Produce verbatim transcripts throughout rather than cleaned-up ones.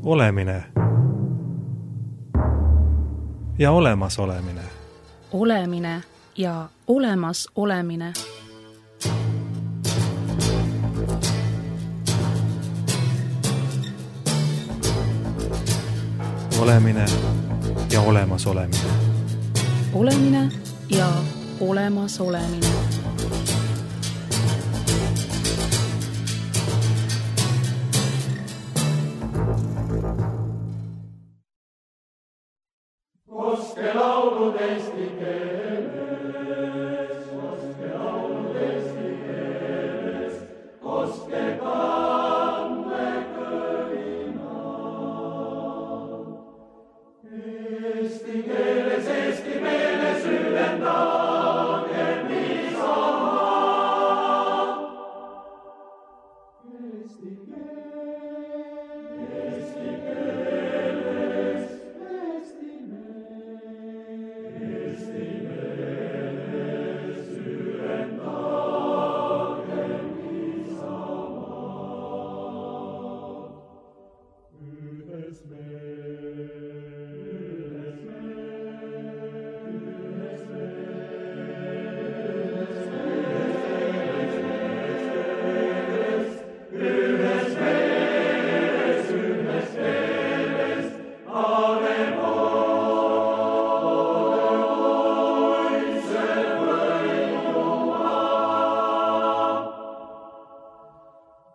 Olemine ja olemas olemine. Olemine ja olemas olemine. Olemine ja olemas olemine. Olemine ja olemas olemine. Koske laulud eesti keeles, koske laulud eesti keeles, koske kanne kõlina. Eesti keeles, eesti meeles süvendagem isamaa. Eesti keeles, eesti keeles, eesti meeles.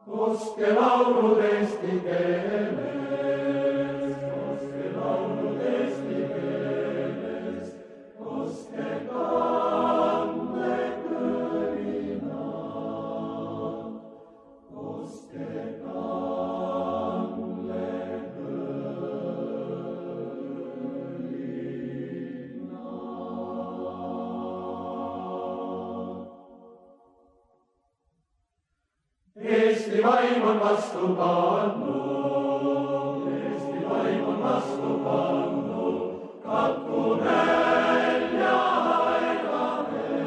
Koske laulud eesti keeles, koske laulud eesti keeles, koske kanne kõlina, koske kanne kõlina. Eesti vaim on vastu pannud, Eesti vaim on vastu pannud, katku nälja aegadel.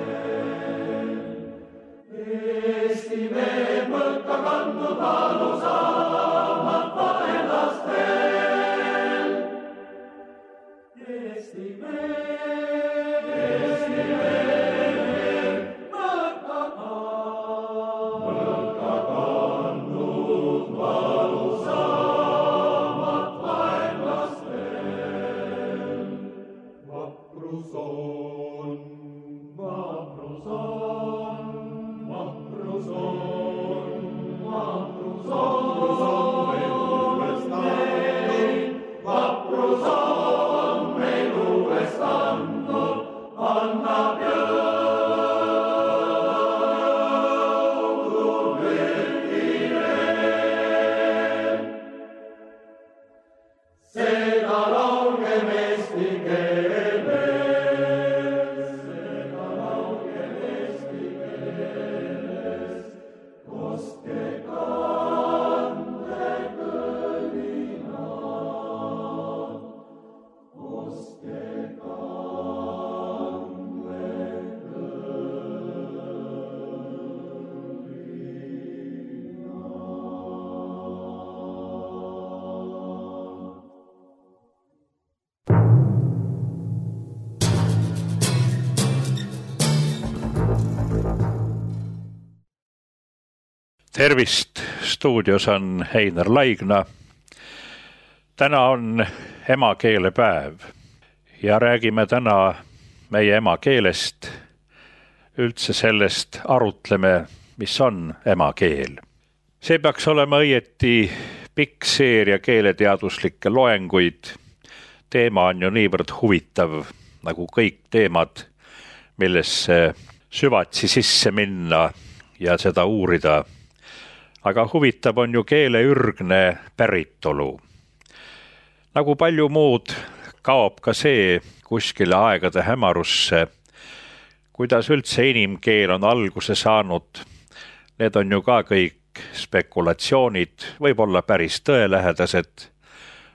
Eesti mehed mõlka kandnud valusamad vaenlastel. Eesti mehed, Eesti mehed mõlka kandnud, mõlka kandnud valusamad vaenlastel. Vaprus on, vaprus on, vaprus on, vaprus on meil uuest andnud, vaprus on meil uuest andnud, annab jõudu müügile. Seda laulgem eesti keeles, seda laulgem eesti keeles, koske kanne kõlina, koske kanne Tervist, stuudios on Heinar Laigna. Täna on emakeelepäev ja räägime täna meie emakeelest. Üldse sellest arutleme, mis on emakeel. See peaks olema õieti pikk seeria keeleteaduslikke loenguid. Teema on ju niivõrd huvitav, nagu kõik teemad, millesse süvatsi sisse minna ja seda uurida. Aga huvitav on ju keele ürgne päritolu. Nagu palju muud kaob ka see kuskile aegade hämarusse, kuidas üldse inimkeel on alguse saanud. Need on ju ka kõik spekulatsioonid, võib-olla päris tõelähedased.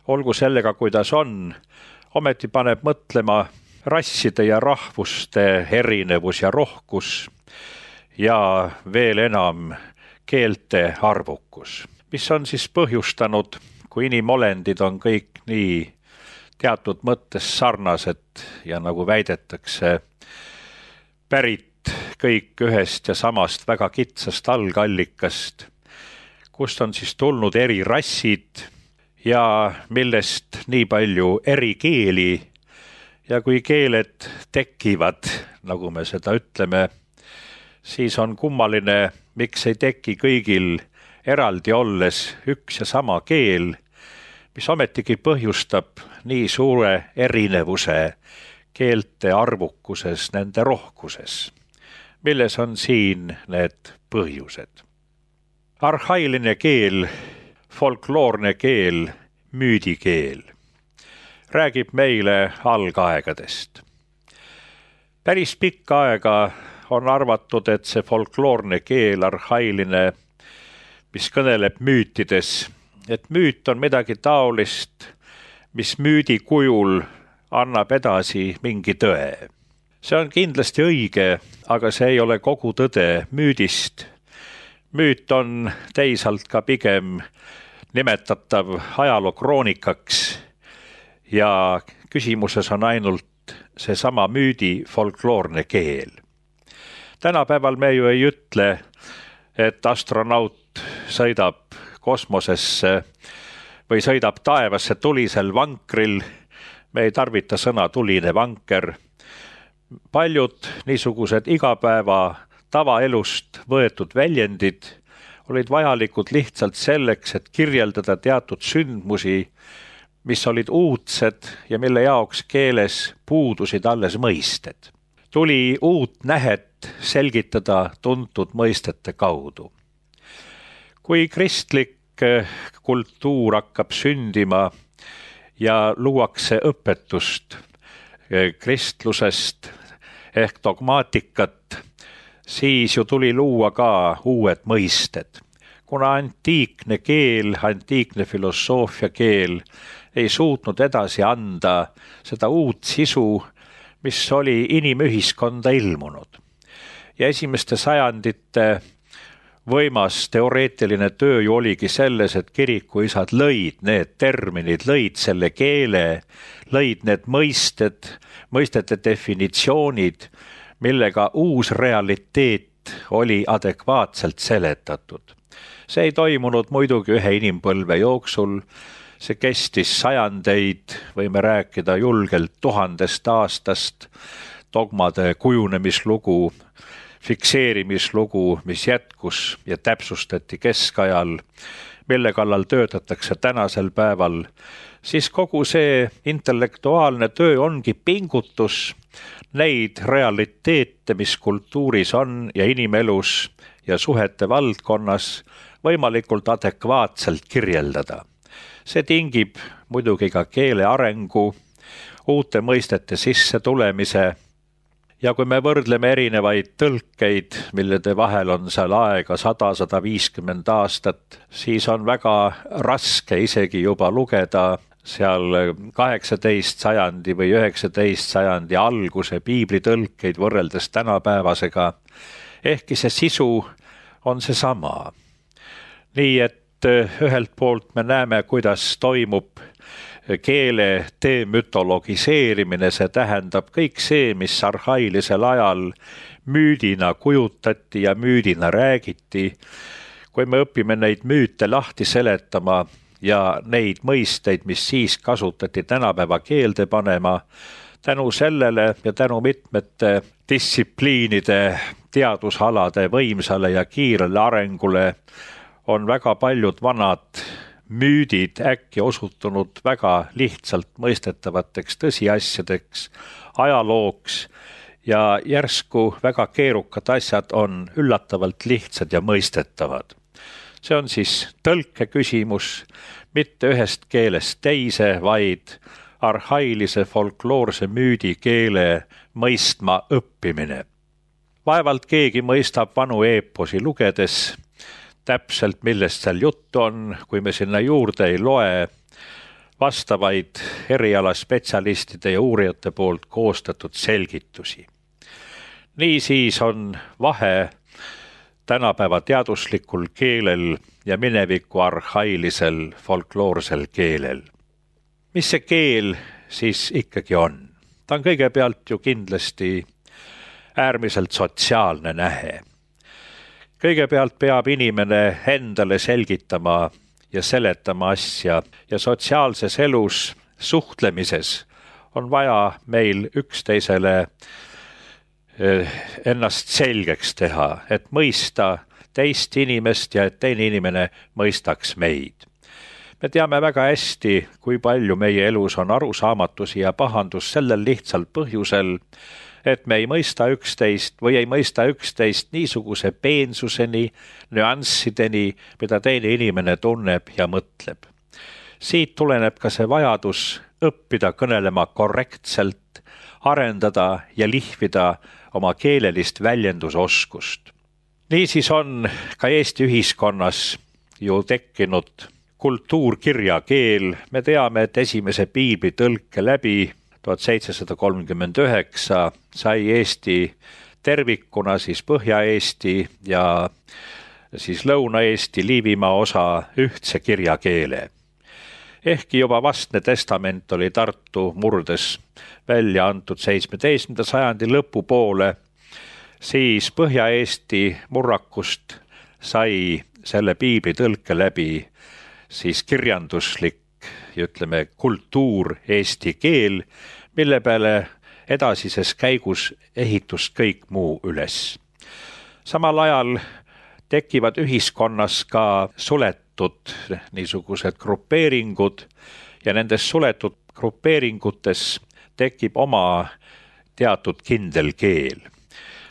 Olgu sellega, kuidas on, ometi paneb mõtlema rasside ja rahvuste erinevus ja rohkus ja veel enam keelte arvukus, mis on siis põhjustanud kui inimolendid on kõik nii teatud mõttes sarnased ja nagu väidetakse, pärit kõik ühest ja samast väga kitsast algallikast, kust on siis tulnud eri rassid ja millest nii palju eri keeli ja kui keeled tekivad, nagu me seda ütleme, siis on kummaline, miks ei teki kõigil eraldi olles üks ja sama keel, mis ometigi põhjustab nii suure erinevuse keelte arvukuses, nende rohkuses. Milles on siin need põhjused? Arhailine keel, folkloorne keel, müüdikeel räägib meile algaegadest. Päris pikka aega on arvatud, et see folkloorne keel, arhailine, mis kõneleb müütides, et müüt on midagi taolist, mis müüdi kujul annab edasi mingi tõe. See on kindlasti õige, aga see ei ole kogu tõde müüdist. Müüt on teisalt ka pigem nimetatav ajalookroonikaks ja küsimuses on ainult seesama müüdi folkloorne keel. Tänapäeval me ju ei ütle, et astronaut sõidab kosmosesse või sõidab taevasse tulisel vankril. Me ei tarvita sõna tuline vanker. Paljud niisugused igapäeva tavaelust võetud väljendid olid vajalikud lihtsalt selleks, et kirjeldada teatud sündmusi, mis olid uudsed ja mille jaoks keeles puudusid alles mõisted. Tuli uut nähet selgitada tuntud mõistete kaudu. Kui kristlik kultuur hakkab sündima ja luuakse õpetust kristlusest ehk dogmaatikat, siis ju tuli luua ka uued mõisted. Kuna antiikne keel, antiikne filosoofia keel ei suutnud edasi anda seda uut sisu, mis oli inimühiskonda ilmunud. Ja esimeste sajandite võimas teoreetiline töö ju oligi selles, et kirikuisad lõid need terminid, lõid selle keele, lõid need mõisted, mõistete definitsioonid, millega uus realiteet oli adekvaatselt seletatud. See ei toimunud muidugi ühe inimpõlve jooksul, see kestis sajandeid, võime rääkida julgelt tuhandest aastast, dogmade kujunemislugu, fikseerimislugu, mis jätkus ja täpsustati keskajal, mille kallal töötatakse tänasel päeval, siis kogu see intellektuaalne töö ongi pingutus neid realiteete, mis kultuuris on ja inimelus ja suhete valdkonnas võimalikult adekvaatselt kirjeldada. See tingib muidugi ka keele arengu, uute mõistete sisse tulemise. Ja kui me võrdleme erinevaid tõlkeid, millede vahel on seal aega sada, sada viiskümmend aastat, siis on väga raske isegi juba lugeda seal kaheksateist sajandi või üheksateist sajandi alguse piiblitõlkeid võrreldes tänapäevasega. Ehkki see sisu on see sama. Nii et ühelt poolt me näeme, kuidas toimub keele demütologiseerimine, see tähendab kõik see, mis arhailisel ajal müüdina kujutati ja müüdina räägiti. Kui me õpime neid müüte lahti seletama ja neid mõisteid, mis siis kasutati tänapäeva keelde panema, tänu sellele ja tänu mitmete distsipliinide, teadusalade võimsale ja kiirele arengule on väga paljud vanad müüdid äkki osutunud väga lihtsalt mõistetavateks tõsiasjadeks, ajalooks ja järsku väga keerukad asjad on üllatavalt lihtsad ja mõistetavad. See on siis tõlke küsimus, mitte ühest keelest teise, vaid arhailise folkloorse müüdi keele mõistma õppimine. Vaevalt keegi mõistab vanu eeposi lugedes täpselt, millest seal juttu on, kui me sinna juurde ei loe vastavaid erialaspetsialistide ja uurijate poolt koostatud selgitusi. Nii siis on vahe tänapäeva teaduslikul keelel ja mineviku arhailisel folkloorsel keelel. Mis see keel siis ikkagi on? Ta on kõigepealt ju kindlasti äärmiselt sotsiaalne nähe. Kõigepealt peab inimene endale selgitama ja seletama asja ja sotsiaalses elus suhtlemises on vaja meil üksteisele ennast selgeks teha, et mõista teist inimest ja et teine inimene mõistaks meid. Me teame väga hästi, kui palju meie elus on arusaamatusi ja pahandus sellel lihtsal põhjusel, et me ei mõista üksteist või ei mõista üksteist niisuguse peensuseni, nüanssideni, mida teine inimene tunneb ja mõtleb. Siit tuleneb ka see vajadus õppida kõnelema korrektselt, arendada ja lihvida oma keelelist väljendusoskust. Niisiis on ka Eesti ühiskonnas ju tekkinud kultuurkirjakeel. Me teame, et esimese piibli tõlke läbi tuhat seitsesada kolmkümmend üheksa sai Eesti tervikuna siis Põhja-Eesti ja siis Lõuna-Eesti Liivimaa osa ühtse kirjakeele. Ehkki juba vastne testament oli Tartu murdes välja antud seitsmeteistkümnenda sajandi lõpupoole, siis Põhja-Eesti murrakust sai selle piibli tõlke läbi siis kirjanduslik, ütleme, kultuur eesti keel, mille peale edasises käigus ehitus kõik muu üles. Samal ajal tekivad ühiskonnas ka suletud niisugused grupeeringud ja nendes suletud grupeeringutes tekib oma teatud kindel keel.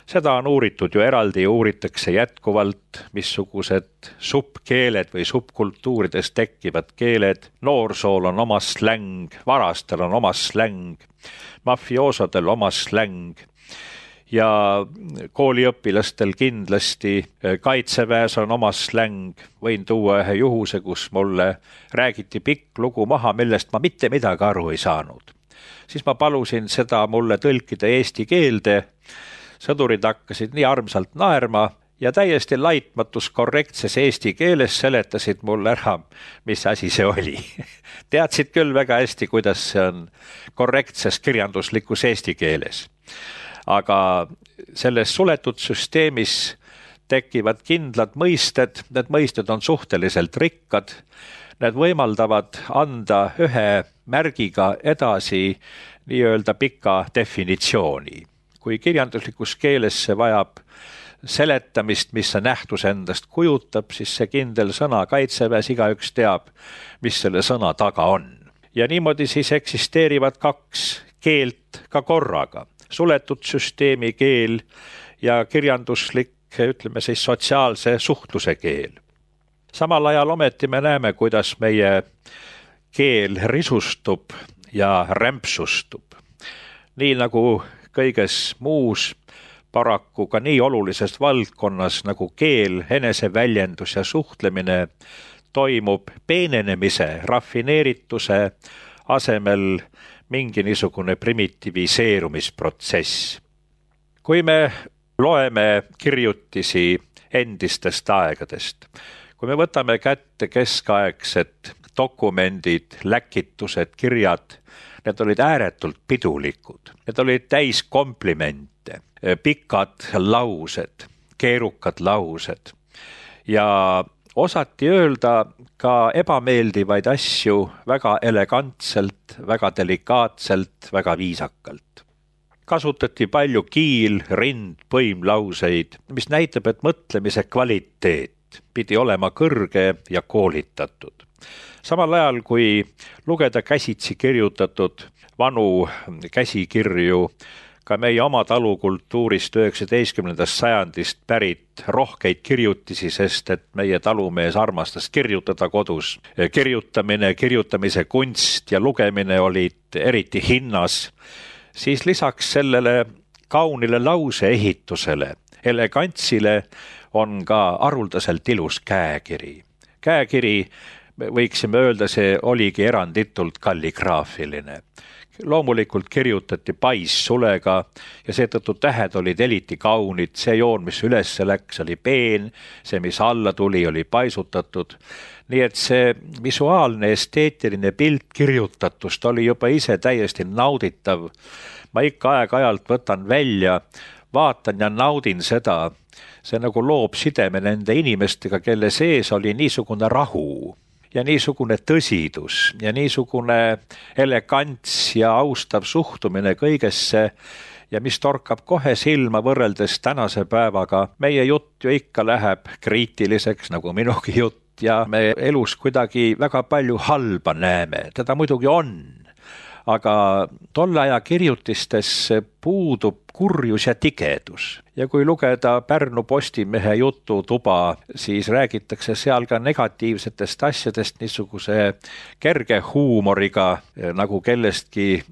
Seda on uuritud ju eraldi ja uuritakse jätkuvalt, missugused subkeeled või subkultuurides tekkivad keeled. Noorsool on oma släng, varastel on oma släng, mafioosodel oma släng ja kooliõpilastel kindlasti kaitseväes on oma släng. Võin tuua ühe juhuse, kus mulle räägiti pikk lugu maha, millest ma mitte midagi aru ei saanud. Siis ma palusin seda mulle tõlkida eesti keelde. Sõdurid hakkasid nii armsalt naerma ja täiesti laitmatus korrektses eesti keeles seletasid mulle ära, mis asi see oli. Teadsid küll väga hästi, kuidas see on korrektses kirjanduslikus eesti keeles. Aga selles suletud süsteemis tekivad kindlad mõisted, need mõisted on suhteliselt rikkad, need võimaldavad anda ühe märgiga edasi nii-öelda pika definitsiooni. Kui kirjanduslikus keeles see vajab seletamist, mis see nähtus endast kujutab, siis see kindel sõna kaitseväes igaüks teab, mis selle sõna taga on. Ja niimoodi siis eksisteerivad kaks keelt ka korraga. Suletud süsteemi keel ja kirjanduslik, ütleme siis sotsiaalse suhtluse keel. Samal ajal ometi me näeme, kuidas meie keel risustub ja rämpsustub. Nii nagu kõiges muus, paraku ka nii olulises valdkonnas nagu keel, eneseväljendus ja suhtlemine toimub peenenemise, rafineerituse asemel mingi niisugune primitiviseerumisprotsess. Kui me loeme kirjutisi endistest aegadest, kui me võtame kätte keskaegsed dokumendid, läkitused, kirjad, need olid ääretult pidulikud. Need olid täis komplimente, pikad laused, keerukad laused ja osati öelda ka ebameeldivaid asju väga elegantselt, väga delikaatselt, väga viisakalt. Kasutati palju kiil, rind, põimlauseid, mis näitab, et mõtlemise kvaliteet pidi olema kõrge ja koolitatud. Samal ajal, kui lugeda käsitsi kirjutatud vanu käsikirju, ka meie oma talukultuurist üheksateistkümnendast sajandist pärit rohkeid kirjutisi, sest et meie talumees armastas kirjutada kodus. Kirjutamine, kirjutamise kunst ja lugemine olid eriti hinnas, siis lisaks sellele kaunile lauseehitusele, elegantsile on ka haruldaselt ilus käekiri. Käekiri, võiksime öelda, see oligi eranditult kalligraafiline. loomulikult kirjutati paissulega ja seetõttu tähed olid eriti kaunid, see joon, mis üles läks, oli peen, see, mis alla tuli, oli paisutatud. Nii et see visuaalne esteetiline pilt kirjutatust oli juba ise täiesti nauditav. Ma ikka aeg-ajalt võtan välja, vaatan ja naudin seda. See nagu loob sideme nende inimestega, kelle sees oli niisugune rahu ja niisugune tõsidus ja niisugune elegants ja austav suhtumine kõigesse ja mis torkab kohe silma võrreldes tänase päevaga. Meie jutt ju ikka läheb kriitiliseks, nagu minugi jutt, ja me elus kuidagi väga palju halba näeme. Teda muidugi on, aga tolle aja kirjutistes puudub kurjus ja tigedus. Ja kui lugeda Pärnu Postimehe jututuba, siis räägitakse seal ka negatiivsetest asjadest niisuguse kerge huumoriga, nagu kellestki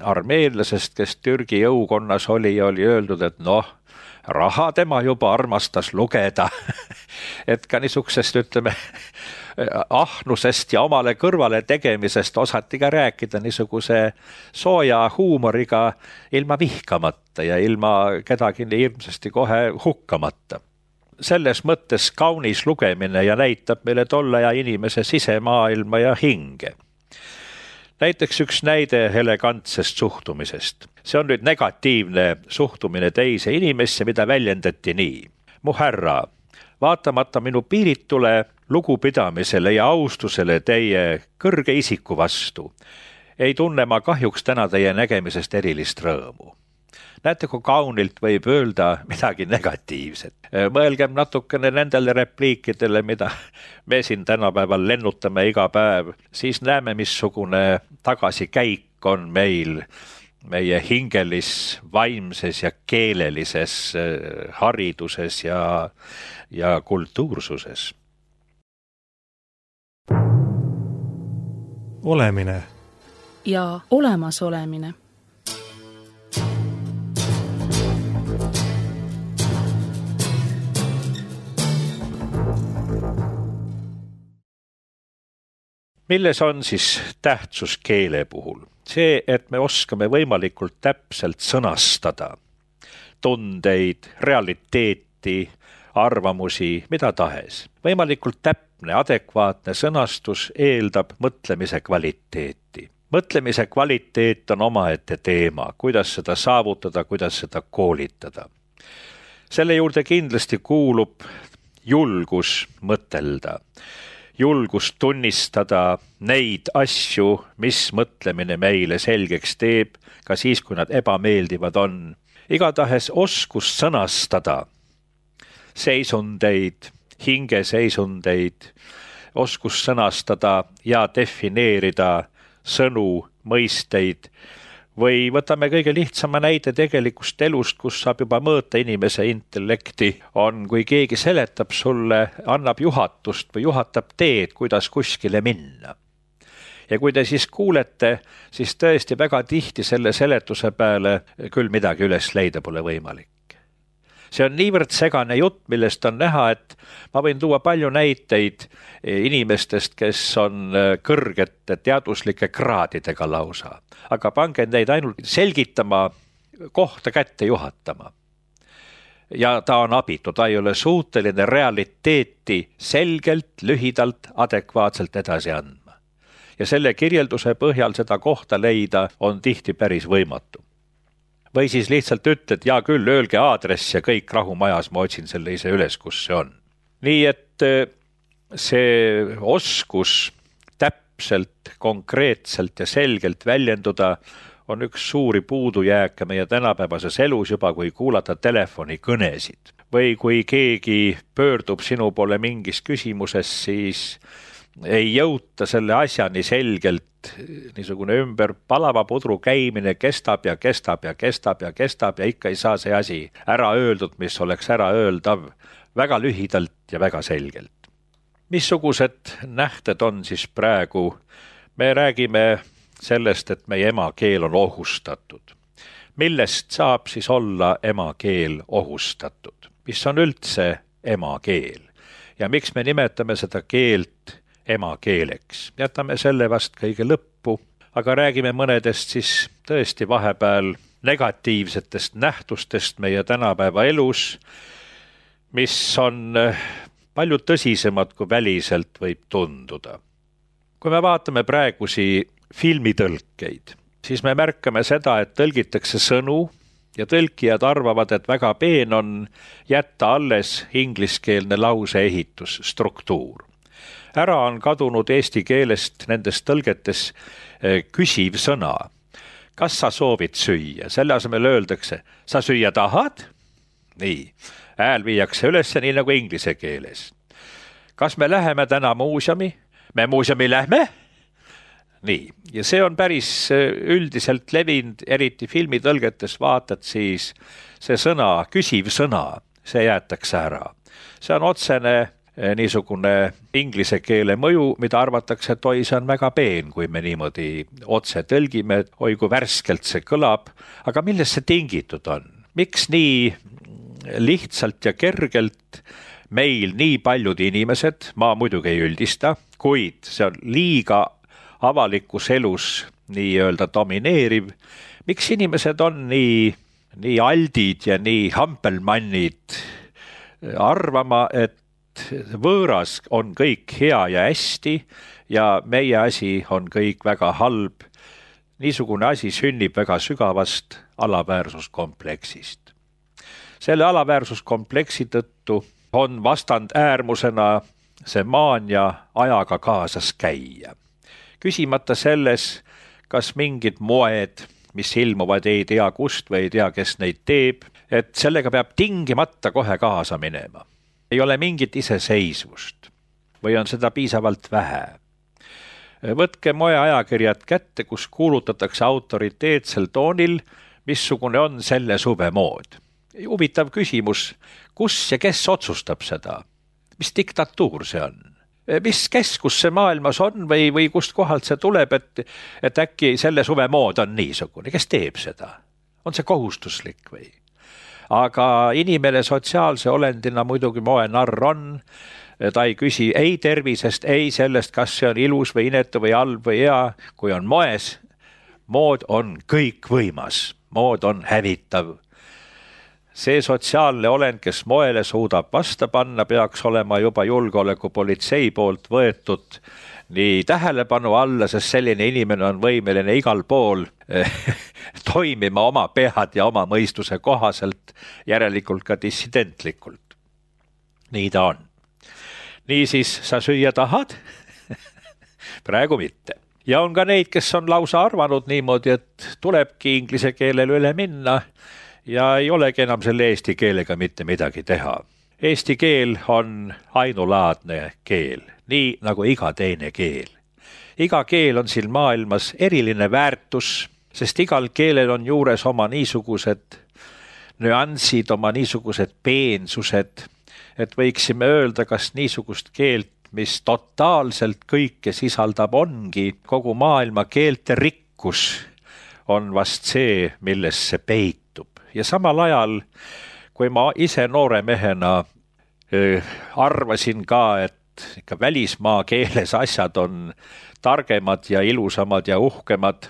armeenlasest, kes Türgi jõukonnas oli ja oli öeldud, et noh, raha tema juba armastas lugeda. Et ka niisugusest, ütleme, ahnusest ja omale kõrvale tegemisest osati ka rääkida niisuguse sooja huumoriga ilma vihkamata ja ilma kedagi hirmsasti kohe hukkamata. Selles mõttes kaunis lugemine ja näitab meile tolle ja inimese sisemaailma ja hinge. Näiteks üks näide elegantsest suhtumisest. See on nüüd negatiivne suhtumine teise inimesse, mida väljendati nii. Mu härra, vaatamata minu piiritule lugupidamisele ja austusele teie kõrge isiku vastu, ei tunne ma kahjuks täna teie nägemisest erilist rõõmu. Näete, kui kaunilt võib öelda midagi negatiivset. Mõelgem natukene nendele repliikidele, mida me siin tänapäeval lennutame iga päev, siis näeme, missugune tagasikäik on meil meie hingelis, vaimses ja keelelises hariduses ja, ja kultuursuses. Olemine ja olemasolemine. Milles on siis tähtsus keele puhul? See, et me oskame võimalikult täpselt sõnastada tundeid, realiteeti, arvamusi, mida tahes. Võimalikult täpne, adekvaatne sõnastus eeldab mõtlemise kvaliteeti. Mõtlemise kvaliteet on omaette teema, kuidas seda saavutada, kuidas seda koolitada. Selle juurde kindlasti kuulub julgus mõtelda. Julgus tunnistada neid asju, mis mõtlemine meile selgeks teeb, ka siis, kui nad ebameeldivad on. Igatahes oskus sõnastada seisundeid, hingeseisundeid, oskus sõnastada ja defineerida sõnu, mõisteid, või võtame kõige lihtsama näide tegelikust elust, kus saab juba mõõta inimese intellekti, on, kui keegi seletab sulle, annab juhatust või juhatab teed, kuidas kuskile minna. Ja kui te siis kuulete, siis tõesti väga tihti selle seletuse peale küll midagi üles leida pole võimalik. See on niivõrd segane jutt, millest on näha, et ma võin tuua palju näiteid inimestest, kes on kõrgete teaduslike kraadidega lausa. Aga pange neid ainult selgitama, kohta kätte juhatama. Ja ta on abitu, ta ei ole suuteline realiteeti selgelt, lühidalt, adekvaatselt edasi andma. Ja selle kirjelduse põhjal seda kohta leida on tihti päris võimatu. Või siis lihtsalt ütled, ja küll, öelge aadress ja kõik rahumajas, ma otsin selle ise üles, kus see on. Nii et see oskus täpselt, konkreetselt ja selgelt väljenduda on üks suuri puudujääke meie tänapäevases elus juba, kui kuulata telefonikõnesid. Või kui keegi pöördub sinu poole mingis küsimuses, siis ei jõuta selle asjani selgelt, niisugune ümber palava pudru käimine kestab ja kestab ja kestab ja kestab ja ikka ei saa see asi ära öeldud, mis oleks ära öeldav väga lühidalt ja väga selgelt. Missugused nähted on siis praegu? Me räägime sellest, et meie emakeel on ohustatud. Millest saab siis olla emakeel ohustatud? Mis on üldse emakeel? Ja miks me nimetame seda keelt emakeeleks? Jätame selle vast kõige lõppu, aga räägime mõnedest siis tõesti vahepeal negatiivsetest nähtustest meie tänapäeva elus, mis on palju tõsisemad kui väliselt võib tunduda. Kui me vaatame praegusi filmitõlkeid, siis me märkame seda, et tõlgitakse sõnu ja tõlkijad arvavad, et väga peen on jätta alles ingliskeelne lause ehitusstruktuur. Ära on kadunud eesti keelest nendes tõlgetes küsiv sõna. Kas sa soovid süüa? Selle asemel öeldakse, sa süüa tahad? Nii, hääl viiakse üles nii nagu inglise keeles. Kas me läheme täna muuseumi? Me muuseumi lähme? Nii, ja see on päris üldiselt levinud, eriti filmitõlgetes vaatad, siis see sõna, küsiv sõna, see jäetakse ära. See on otsene niisugune inglise keele mõju, mida arvatakse, et oi, see on väga peen, kui me niimoodi otse tõlgime, oi kui värskelt see kõlab, aga millest see tingitud on? Miks nii lihtsalt ja kergelt meil nii paljud inimesed, ma muidugi ei üldista, kuid see on liiga avalikus elus nii-öelda domineeriv, miks inimesed on nii, nii aldid ja nii hampelmannid arvama, et võõras on kõik hea ja hästi ja meie asi on kõik väga halb. Niisugune asi sünnib väga sügavast alaväärsuskompleksist. Selle alaväärsuskompleksi tõttu on vastand äärmusena see maania ajaga kaasas käia. Küsimata selles, kas mingid moed, mis ilmuvad ei tea kust või ei tea, kes neid teeb, et sellega peab tingimata kohe kaasa minema. Ei ole mingit iseseisvust või on seda piisavalt vähe. Võtke moeajakirjad kätte, kus kuulutatakse autoriteetsel toonil, missugune on selle suve mood. Huvitav küsimus, kus ja kes otsustab seda? Mis diktatuur see on? Mis keskus see maailmas on või, või kust kohalt see tuleb, et, et äkki selle suve mood on niisugune? Kes teeb seda? On see kohustuslik või? Aga inimene sotsiaalse olendina muidugi moenarr on. Ta ei küsi ei tervisest, ei sellest, kas see on ilus või inetu või halb või hea. Kui on moes, mood on kõik võimas. Mood on hävitav. See sotsiaalne olend, kes moele suudab vasta panna, peaks olema juba julgeolekupolitsei poolt võetud nii tähelepanu alla, sest selline inimene on võimeline igal pool toimima oma pead ja oma mõistuse kohaselt, järelikult ka dissidentlikult. Nii ta on. Niisiis, sa süüa tahad? Praegu mitte. Ja on ka neid, kes on lausa arvanud niimoodi, et tulebki inglise keelele üle minna ja ei olegi enam selle eesti keelega mitte midagi teha. Eesti keel on ainulaadne keel, nii nagu iga teine keel. Iga keel on siin maailmas eriline väärtus, sest igal keelel on juures oma niisugused nüansid, oma niisugused peensused, et võiksime öelda, kas niisugust keelt, mis totaalselt kõike sisaldab, ongi kogu maailma keelte rikkus, on vast see, milles see peitub. Ja samal ajal, kui ma ise noore mehena äh, arvasin ka, et ikka välismaa keeles asjad on targemad ja ilusamad ja uhkemad,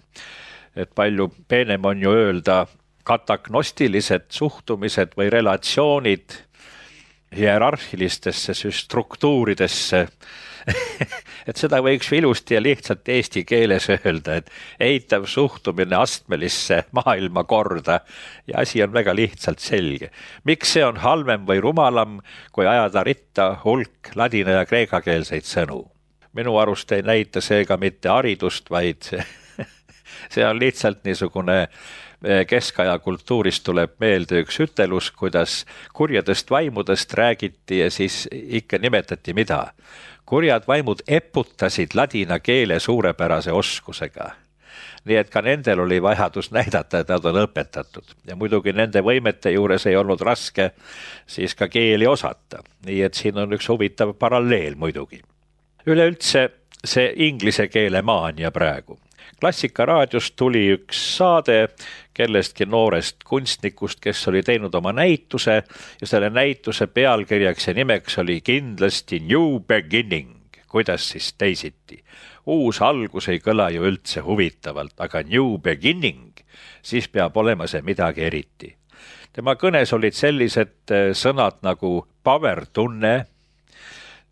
et palju peenem on ju öelda kataknostilised suhtumised või relatsioonid hierarhilistesse struktuuridesse, et seda võiks ilusti ja lihtsalt eesti keeles öelda, et eitav suhtumine astmelisse maailmakorda ja asi on väga lihtsalt selge. Miks see on halvem või rumalam, kui ajada ritta hulk ladina ja kreekakeelseid sõnu? Minu arust ei näita seega mitte haridust, vaid see on lihtsalt niisugune keskaja kultuurist tuleb meelde üks ütelus, kuidas kurjadest vaimudest räägiti ja siis ikka nimetati mida? Kurjad vaimud eputasid ladina keele suurepärase oskusega. Nii et ka nendel oli vajadus näidata, et nad on õpetatud. Ja muidugi nende võimete juures ei olnud raske siis ka keeli osata. Nii et siin on üks huvitav paralleel muidugi. Üleüldse see inglise keele maania praegu. Klassikaraadios tuli üks saade kellestki noorest kunstnikust, kes oli teinud oma näituse ja selle näituse pealkirjaks ja nimeks oli kindlasti New Beginning. Kuidas siis teisiti? uus algus ei kõla ju üldse huvitavalt, aga new beginning, siis peab olema see midagi eriti. Tema kõnes olid sellised sõnad nagu power tunne,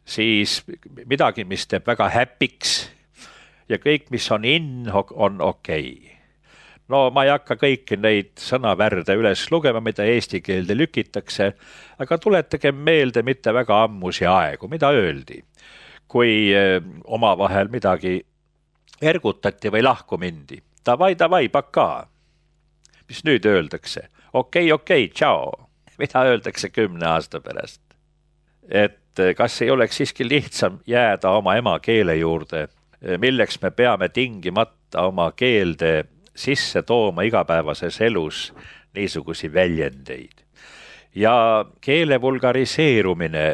siis midagi, mis teeb väga häpiks ja kõik, mis on in, on okei. Okay. No ma ei hakka kõiki neid sõnavärde üles lugema, mida eesti keelde lükitakse, aga tuletage meelde mitte väga ammusi aegu, mida öeldi, kui omavahel midagi ergutati või lahku mindi. Davai, davai, pakaa. Mis nüüd öeldakse? Okei, okei, tšao. Mida öeldakse kümne aasta pärast? Et kas ei oleks siiski lihtsam jääda oma emakeele juurde, milleks me peame tingimata oma keelde sisse tooma igapäevases elus niisugusi väljendeid. Ja keele vulgariseerumine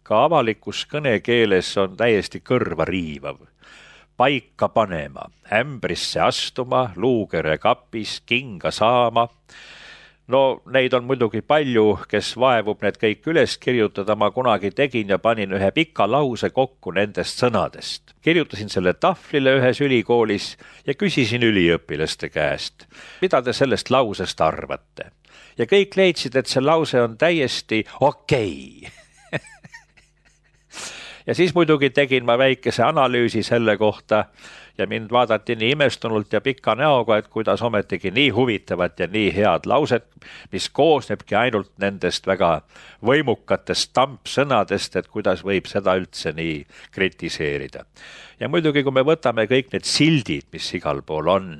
ka avalikus kõnekeeles on täiesti kõrva riivav. Paika panema, ämbrisse astuma, luukere kapis, kinga saama. No neid on muidugi palju, kes vaevub need kõik üles kirjutada, ma kunagi tegin ja panin ühe pika lause kokku nendest sõnadest. Kirjutasin selle tahvlile ühes ülikoolis ja küsisin üliõpilaste käest, mida te sellest lausest arvate. Ja kõik leidsid, et see lause on täiesti okei. Ja siis muidugi tegin ma väikese analüüsi selle kohta ja mind vaadati nii imestunult ja pika näoga, et kuidas ometigi nii huvitavat ja nii head lauset, mis koosnebki ainult nendest väga võimukatest tampsõnadest, et kuidas võib seda üldse nii kritiseerida. Ja muidugi, kui me võtame kõik need sildid, mis igal pool on,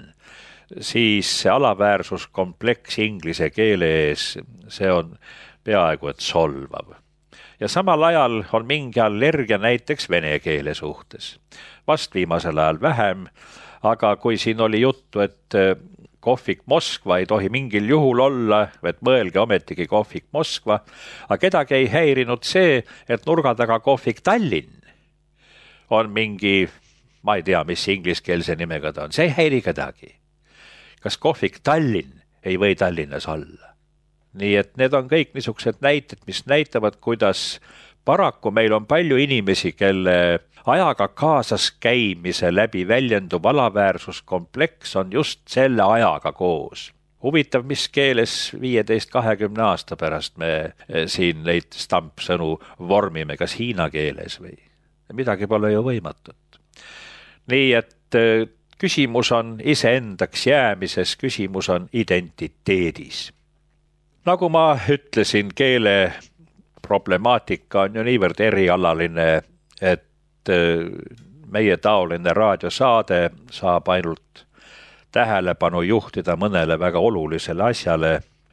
siis see alaväärsuskompleks inglise keele ees, see on peaaegu et solvav. Ja samal ajal on mingi allergia näiteks vene keele suhtes. Vast viimasel ajal vähem, aga kui siin oli juttu, et kohvik Moskva ei tohi mingil juhul olla, et mõelge ometigi kohvik Moskva, aga kedagi ei häirinud see, et nurga taga kohvik Tallinn on mingi, ma ei tea, mis ingliskeelse nimega ta on, see ei häiri kedagi. Kas kohvik Tallinn ei või Tallinnas olla? Nii et need on kõik niisugused näited, mis näitavad, kuidas paraku meil on palju inimesi, kelle ajaga kaasas käimise läbi väljenduv alaväärsuskompleks on just selle ajaga koos. Huvitav, mis keeles viieteist kahekümne aasta pärast me siin neid stampsõnu vormime, kas hiina keeles või midagi pole ju võimatut. Nii et küsimus on iseendaks jäämises, küsimus on identiteedis. Nagu ma ütlesin, keele problemaatika on ju niivõrd erialaline, et meie taoline raadiosaade saab ainult tähelepanu juhtida mõnele väga olulisele asjale.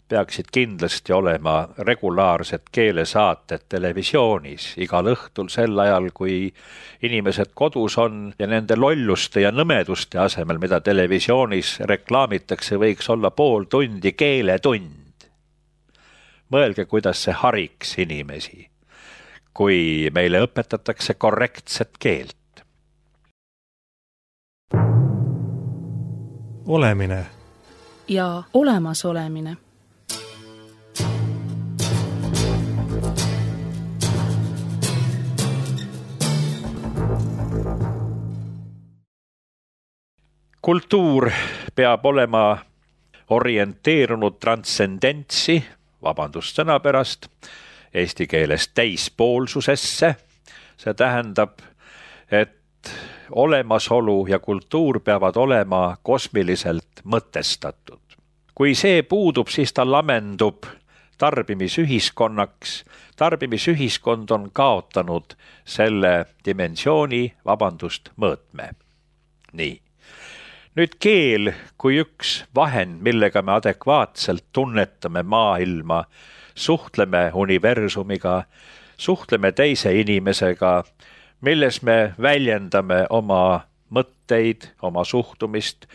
Peaksid kindlasti olema regulaarsed keelesaated televisioonis igal õhtul sel ajal, kui inimesed kodus on ja nende lolluste ja nõmeduste asemel, mida televisioonis reklaamitakse, võiks olla pool tundi keeletund. Mõelge, kuidas see hariks inimesi, kui meile õpetatakse korrektset keelt. Olemine ja olemasolemine. Kultuur peab olema orienteerunud transcendentsi, vabandust sõna pärast, eesti keeles täispoolsusesse. See tähendab, et olemasolu ja kultuur peavad olema kosmiliselt mõtestatud. Kui see puudub, siis ta lamendub tarbimisühiskonnaks. Tarbimisühiskond on kaotanud selle dimensiooni, vabandust, mõõtme. Nii. Nüüd keel kui üks vahend, millega me adekvaatselt tunnetame maailma, suhtleme universumiga, suhtleme teise inimesega, milles me väljendame oma mõtteid, oma suhtumist,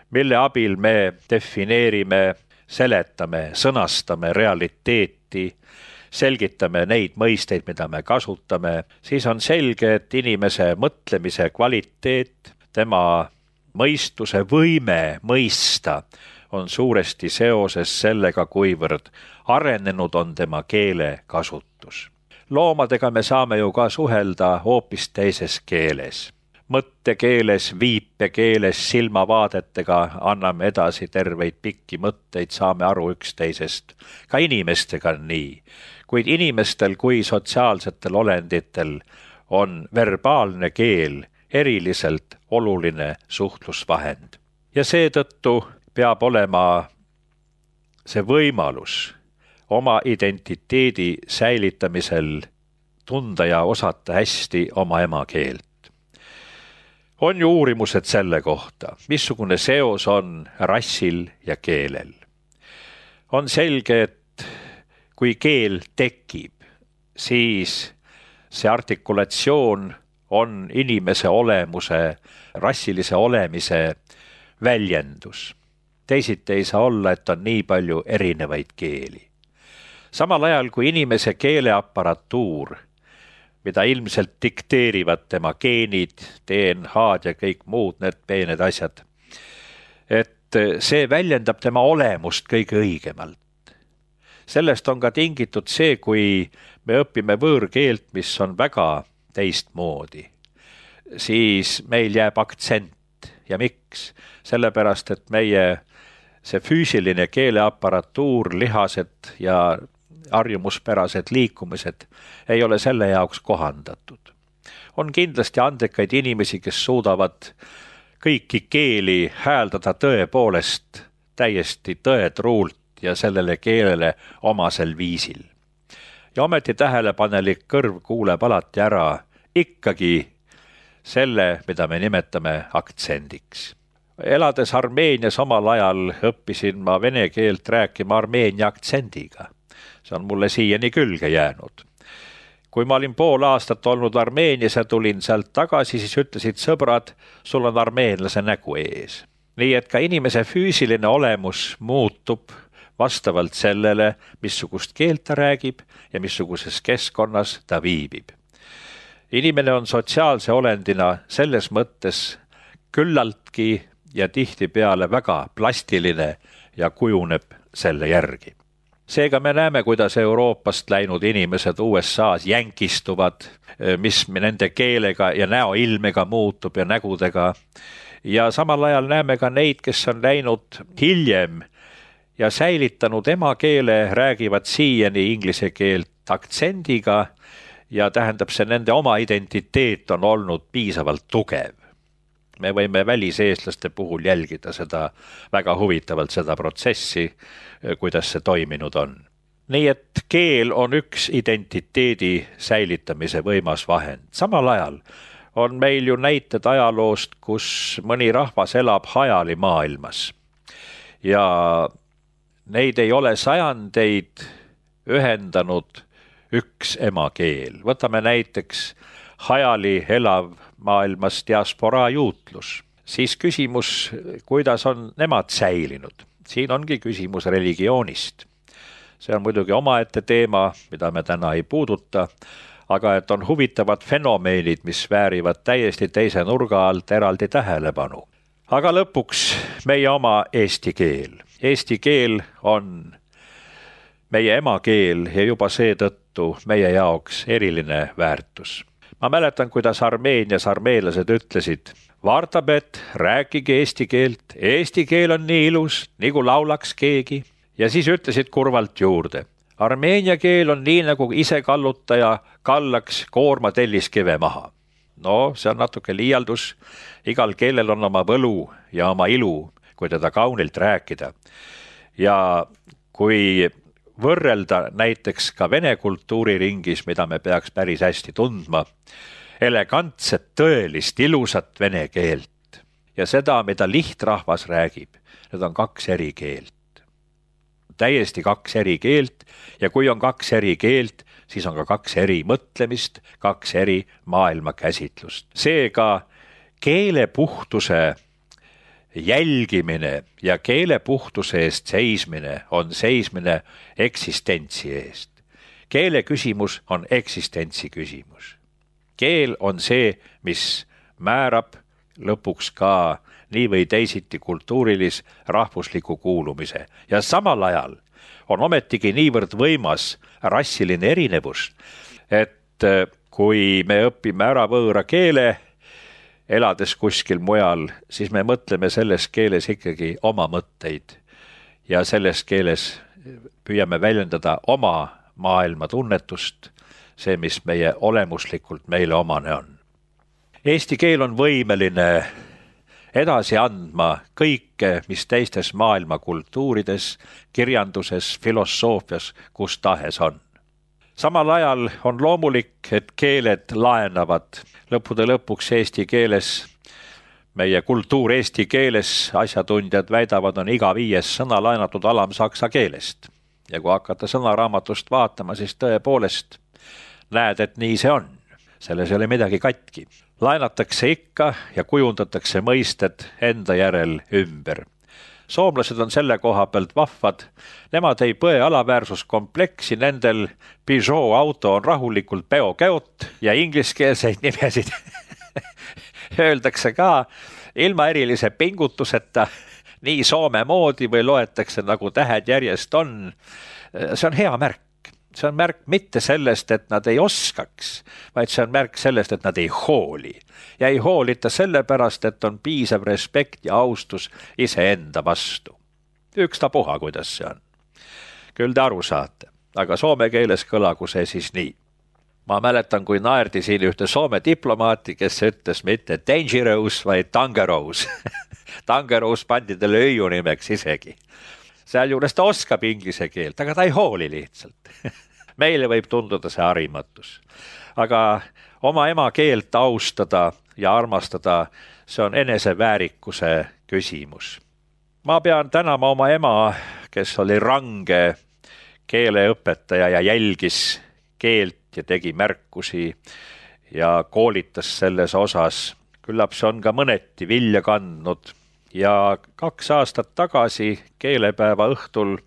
mille abil me defineerime, seletame, sõnastame realiteeti, selgitame neid mõisteid, mida me kasutame, siis on selge, et inimese mõtlemise kvaliteet, tema mõistuse võime mõista on suuresti seoses sellega, kuivõrd arenenud on tema keele kasutus. Loomadega me saame ju ka suhelda hoopis teises keeles. mõttekeeles, viipekeeles, silmavaadetega anname edasi terveid pikki mõtteid, saame aru üksteisest. Ka inimestega on nii, kuid inimestel kui sotsiaalsetel olenditel on verbaalne keel eriliselt oluline suhtlusvahend. Ja seetõttu peab olema see võimalus oma identiteedi säilitamisel tunda ja osata hästi oma emakeelt. On ju uurimused selle kohta, missugune seos on rassil ja keelel. On selge, et kui keel tekib, siis see artikulatsioon on inimese olemuse, rassilise olemise väljendus. Teisiti ei saa olla, et on nii palju erinevaid keeli. Samal ajal kui inimese keeleaparatuur, mida ilmselt dikteerivad tema geenid, D N H-d ja kõik muud need peened asjad, et see väljendab tema olemust kõige õigemalt. Sellest on ka tingitud see, kui me õpime võõrkeelt, mis on väga teistmoodi, siis meil jääb aktsent. Ja miks? Sellepärast, et meie see füüsiline keeleaparatuur, lihased ja harjumuspärased liikumised ei ole selle jaoks kohandatud. On kindlasti andekaid inimesi, kes suudavad kõiki keeli hääldada tõepoolest täiesti tõetruult ja sellele keelele omasel viisil. Ja ometi tähelepanelik kõrv kuuleb alati ära ikkagi selle, mida me nimetame aktsendiks. Elades Armeenias omal ajal õppisin ma vene keelt rääkima armeenia aktsendiga. See on mulle siiani külge jäänud. Kui ma olin pool aastat olnud Armeenias ja tulin sealt tagasi, siis ütlesid sõbrad, sul on armeenlase nägu ees. Nii et ka inimese füüsiline olemus muutub vastavalt sellele, missugust keelt ta räägib ja missuguses keskkonnas ta viibib. Inimene on sotsiaalse olendina selles mõttes küllaltki ja tihtipeale väga plastiline ja kujuneb selle järgi. Seega me näeme, kuidas Euroopast läinud inimesed U S A-s jänkistuvad, mis nende keelega ja näoilmega muutub ja nägudega. Ja samal ajal näeme ka neid, kes on läinud hiljem ja säilitanud emakeele, räägivad siiani inglise keelt aktsendiga ja tähendab see nende oma identiteet on olnud piisavalt tugev. Me võime väliseestlaste puhul jälgida seda väga huvitavalt seda protsessi, kuidas see toiminud on. Nii et keel on üks identiteedi säilitamise võimas vahend. Samal ajal on meil ju näited ajaloost, kus mõni rahvas elab hajali maailmas. Ja neid ei ole sajandeid ühendanud üks emakeel. Võtame näiteks hajali elav maailmas diasporaa juutlus. Siis küsimus, kuidas on nemad säilinud. Siin ongi küsimus religioonist. See on muidugi omaette teema, mida me täna ei puuduta, aga et on huvitavad fenomeenid, mis väärivad täiesti teise nurga alt eraldi tähelepanu. Aga lõpuks meie oma eesti keel. Eesti keel on meie emakeel ja juba seetõttu meie jaoks eriline väärtus. Ma mäletan, kuidas Armeenias armeenlased ütlesid, Vartabet, rääkige eesti keelt, eesti keel on nii ilus, nagu laulaks keegi. Ja siis ütlesid kurvalt juurde, armeenia keel on nii, nagu ise kallutaja kallaks koorma telliskive maha. No, see on natuke liialdus, igal keelel on oma võlu ja oma ilu, kui teda kaunilt rääkida. Ja kui võrrelda näiteks ka vene kultuuriringis, mida me peaks päris hästi tundma, elegantset, tõelist, ilusat vene keelt ja seda, mida lihtrahvas räägib, need on kaks eri keelt. Täiesti kaks eri keelt ja kui on kaks eri keelt, siis on ka kaks eri mõtlemist, kaks eri maailmakäsitlust. Seega keelepuhtuse jälgimine ja keelepuhtuse eest seismine on seismine eksistentsi eest. Keele küsimus on eksistentsi küsimus. Keel on see, mis määrab lõpuks ka nii või teisiti kultuurilis rahvusliku kuulumise. Ja samal ajal on ometigi niivõrd võimas rassiline erinevus, et kui me õpime ära võõra keele elades kuskil mujal, siis me mõtleme selles keeles ikkagi oma mõtteid ja selles keeles püüame väljendada oma maailma tunnetust, see, mis meie olemuslikult meile omane on. Eesti keel on võimeline edasi andma kõike, mis teistes maailma kultuurides, kirjanduses, filosoofias, kus tahes on. Samal ajal on loomulik, et keeled laenavad lõppude lõpuks eesti keeles. Meie kultuur eesti keeles, asjatundjad väidavad, on iga viies sõna laenatud alamsaksa keelest. Ja kui hakata sõnaraamatust vaatama, siis tõepoolest näed, et nii see on. Selles ei ole midagi katki. Laenatakse ikka ja kujundatakse mõisted enda järel ümber. Soomlased on selle koha pealt vahvad. Nemad ei põe alaväärsuskompleksi, nendel Peugeot auto on rahulikult peokäot ja ingliskeelseid nimesid öeldakse ka ilma erilise pingutuseta nii soome moodi või loetakse nagu tähed järjest on. See on hea märk. See on märk mitte sellest, et nad ei oskaks, vaid see on märk sellest, et nad ei hooli. Ja ei hoolita sellepärast, et on piisav respekt ja austus iseenda vastu. Ükstapuha, kuidas see on. Küll te aru saate, aga soome keeles kõlagu see siis nii. Ma mäletan, kui naerdi siin ühte soome diplomaati, kes ütles mitte dangerous, vaid tangerous. Tangerous pandi talle öiu nimeks isegi. Seal juures ta oskab inglise keelt, aga ta ei hooli lihtsalt. Meile võib tunduda see harimatus. Aga oma ema keelt austada ja armastada, see on eneseväärikuse küsimus. Ma pean tänama oma ema, kes oli range keeleõpetaja ja jälgis keelt ja tegi märkusi ja koolitas selles osas. Küllap see on ka mõneti vilja kandnud. Ja kaks aastat tagasi keelepäeva õhtul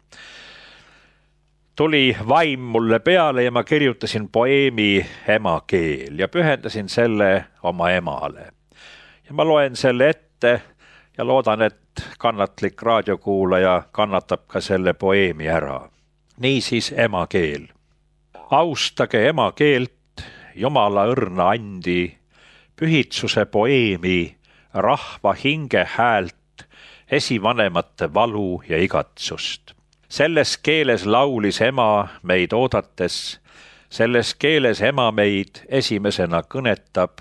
tuli vaim mulle peale ja ma kirjutasin poeemi Ema keel ja pühendasin selle oma emale. Ja ma loen selle ette ja loodan, et kannatlik raadiokuulaja kannatab ka selle poeemi ära. Niisiis ema keel. Austage ema keelt, Jumala õrna andi, pühitsuse poeemi, rahva hinge häält, esivanemate valu ja igatsust. Selles keeles laulis ema meid oodates, selles keeles ema meid esimesena kõnetab,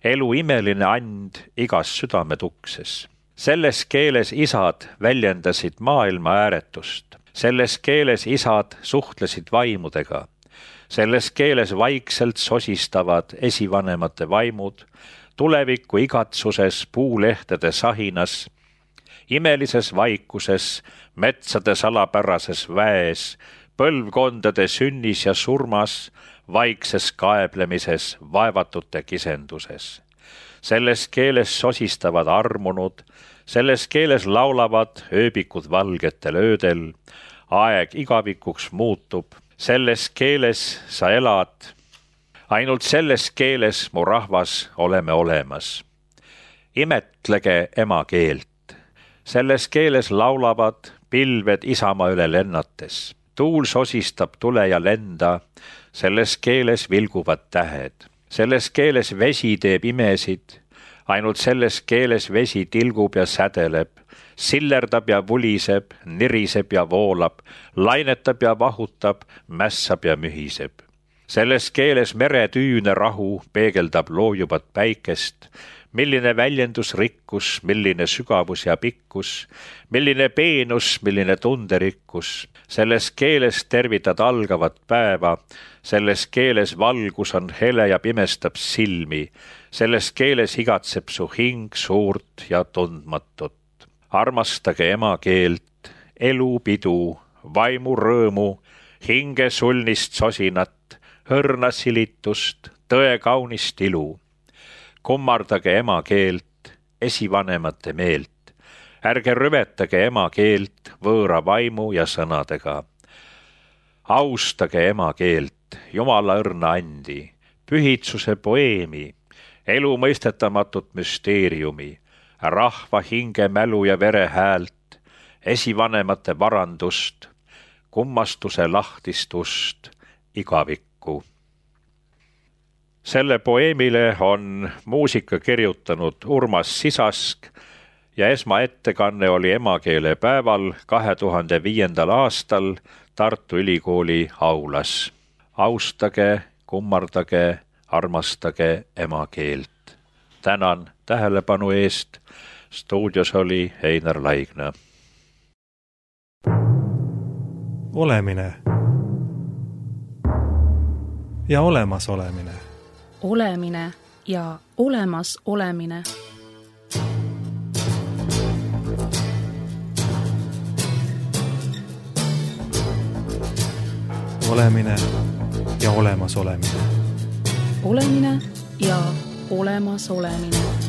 elu imeline and igas südametukses. Selles keeles isad väljendasid maailma ääretust, selles keeles isad suhtlesid vaimudega, selles keeles vaikselt sosistavad esivanemate vaimud, tuleviku igatsuses puulehtede sahinas, imelises vaikuses, metsade salapärases väes, põlvkondade sünnis ja surmas, vaikses kaeblemises, vaevatute kisenduses. Selles keeles sosistavad armunud, selles keeles laulavad ööbikud valgetel öödel, aeg igavikuks muutub, selles keeles sa elad. Ainult selles keeles, mu rahvas, oleme olemas. Imetlege ema keelt. Selles keeles laulavad pilved isamaa üle lennates. Tuul sosistab tule ja lenda. Selles keeles vilguvad tähed. Selles keeles vesi teeb imesid. Ainult selles keeles vesi tilgub ja sädeleb. Sillerdab ja vuliseb, niriseb ja voolab. Lainetab ja vahutab, mässab ja mühiseb. Selles keeles meretüüne rahu peegeldab loojuvat päikest, milline väljendusrikkus, milline sügavus ja pikkus, milline peenus, milline tunderikkus. Selles keeles tervitad algavat päeva, selles keeles valgus on hele ja pimestab silmi, selles keeles igatseb su hing suurt ja tundmatut. Armastage ema keelt, elu pidu, vaimu rõõmu, hinge sulnist sosinat, hõrna silitust, tõe kaunist ilu. Kummardage ema keelt, esivanemate meelt. Ärge rüvetage ema keelt võõra vaimu ja sõnadega. Austage ema keelt, Jumala õrna andi, pühitsuse poeemi, elu mõistetamatut müsteeriumi, rahva hinge mälu ja vere häält, esivanemate varandust, kummastuse lahtistust, igavikku. selle poeemile on muusika kirjutanud Urmas Sisask ja esmaettekanne oli emakeelepäeval kahe tuhande viiendal aastal Tartu Ülikooli aulas. Austage, kummardage, armastage emakeelt. Tänan tähelepanu eest. Stuudios oli Einar Laigna. Olemine ja olemas olemine. Olemine ja olemas olemine. Olemine ja olemas olemine. Olemine ja olemas olemine.